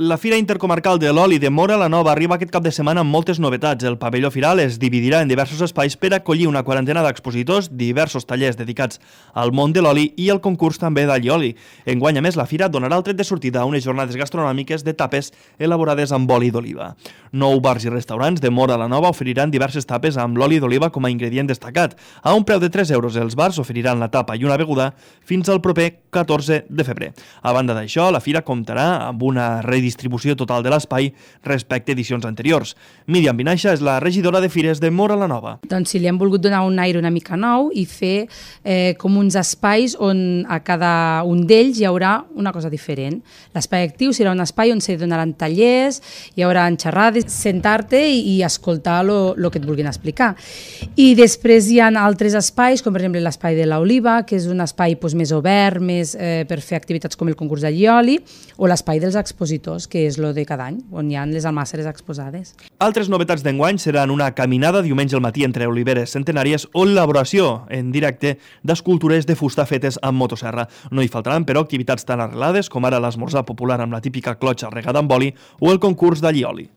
La Fira Intercomarcal de l'Oli de Móra la Nova arriba aquest cap de setmana amb moltes novetats. El pavelló firal es dividirà en diversos espais per acollir una quarantena d'expositors, diversos tallers dedicats al món de l'oli i el concurs també d'allioli. Enguany, a més, la fira donarà el tret de sortida a unes jornades gastronòmiques de tapes elaborades amb oli d'oliva. 9 bars i restaurants de Móra la Nova oferiran diverses tapes amb l'oli d'oliva com a ingredient destacat. A un preu de 3 euros, els bars oferiran la tapa i una beguda fins al proper 14 de febrer. A banda d'això, la fira comptarà amb una redistribució total de l'espai respecte a edicions anteriors. Míriam Vinaixa és la regidora de fires de Móra la Nova. Doncs sí, li hem volgut donar un aire una mica nou i fer com uns espais on a cada un d'ells hi haurà una cosa diferent. L'espai actiu serà un espai on s'hi donaran tallers, hi haurà xerrades, sentar-te i escoltar el que et vulguin explicar. I després hi ha altres espais, com per exemple l'espai de l'Oliva, que és un espai més obert, més per fer activitats com el concurs d'allioli, o l'espai dels expositors, que és lo de cada any, on hi ha les almàsseres exposades. Altres novetats d'enguany seran una caminada diumenge al matí entre oliveres centenàries o l'elaboració en directe d'escultures de fusta fetes amb motosserra. No hi faltaran, però, activitats tan arrelades com ara l'esmorzar popular amb la típica clotxa regada amb oli o el concurs d'allioli.